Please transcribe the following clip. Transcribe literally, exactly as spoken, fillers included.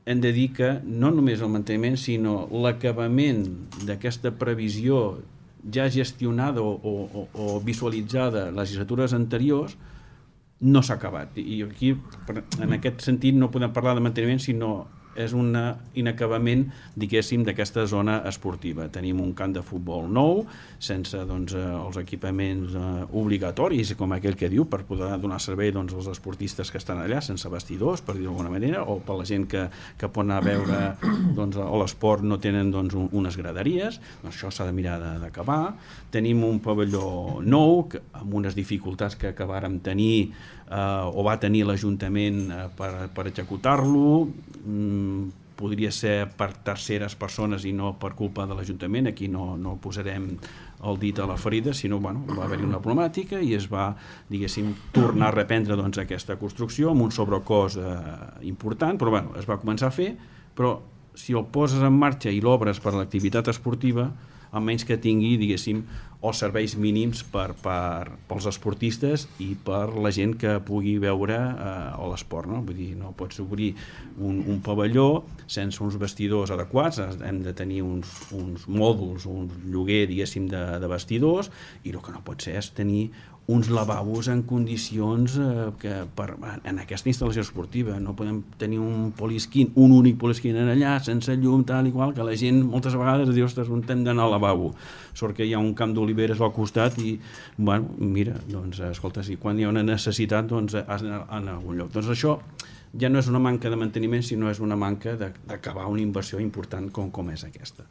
hem de dir que no només el manteniment, sinó l'acabament d'aquesta previsió ja gestionada o, o, o visualitzada en legislatures anteriors no s'ha acabat. I aquí, en aquest sentit, no podem parlar de manteniment, sinó és un inacabament, diguéssim, d'aquesta zona esportiva. Tenim un camp de futbol nou, sense doncs, els equipaments eh, obligatoris, com aquell que diu, per poder donar servei doncs, als esportistes que estan allà, sense vestidors, per dir d'alguna manera, o per la gent que, que pot anar a veure doncs, a l'esport no tenen doncs, un, unes graderies. Doncs això s'ha de mirar d'acabar. Tenim un pavelló nou, que, amb unes dificultats que acabàrem tenir Uh, o va tenir l'Ajuntament uh, per, per executar-lo. Mm, podria ser per terceres persones i no per culpa de l'Ajuntament. Aquí no, no posarem el dit a la ferida, sinó bueno, va haver-hi una problemàtica i es va, diguéssim, tornar a reprendre doncs, aquesta construcció amb un sobrecost uh, important, però bueno, es va començar a fer, però si el poses en marxa i l'obres per a l'activitat esportiva, almenys que tingui, diguéssim, els serveis mínims per, per, pels esportistes i per la gent que pugui veure eh, l'esport, no? Vull dir, no pots obrir un, un pavelló sense uns vestidors adequats, hem de tenir uns, uns mòduls, un lloguer, diguéssim, de, de vestidors, i el que no pot ser és tenir uns lavabos en condicions eh, que per, en aquesta instal·lació esportiva no podem tenir un polisquín, un únic polisquín en allà, sense llum, tal i qual, que la gent moltes vegades diu, ostres, on hem d'anar al lavabo? Sort que hi ha un camp d'oliveres al costat i, bueno, mira, doncs, escolta, si quan hi ha una necessitat, doncs has d'anar a algun lloc. Doncs això ja no és una manca de manteniment, sinó és una manca d'acabar una inversió important com, com és aquesta.